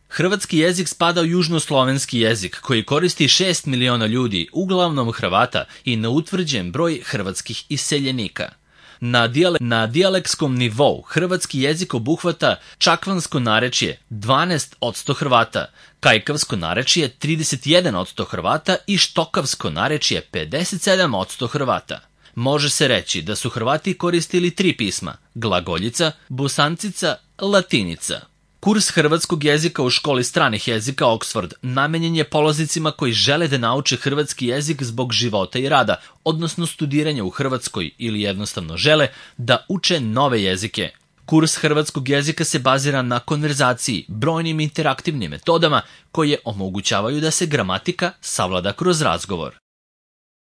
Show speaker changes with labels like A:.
A: Hrvatski jezik spada u južnoslovenski jezik koji koristi 6 miliona ljudi, uglavnom Hrvata, i neutvrđen broj hrvatskih iseljenika. Na dijalekskom nivou hrvatski jezik obuhvata čakvansko narečje 12% Hrvata, kajkavsko narečje 31% Hrvata i štokavsko narečje 57% Hrvata. Može se reći da su Hrvati koristili 3 pisma: glagoljica, bosancica, latinica. Kurs hrvatskog jezika u školi stranih jezika Oxford namenjen je polaznicima koji žele da nauče hrvatski jezik zbog života i rada, odnosno studiranja u Hrvatskoj, ili jednostavno žele da uče nove jezike. Kurs hrvatskog jezika se bazira na konverzaciji, brojnim interaktivnim metodama koje omogućavaju da se gramatika savlada kroz razgovor.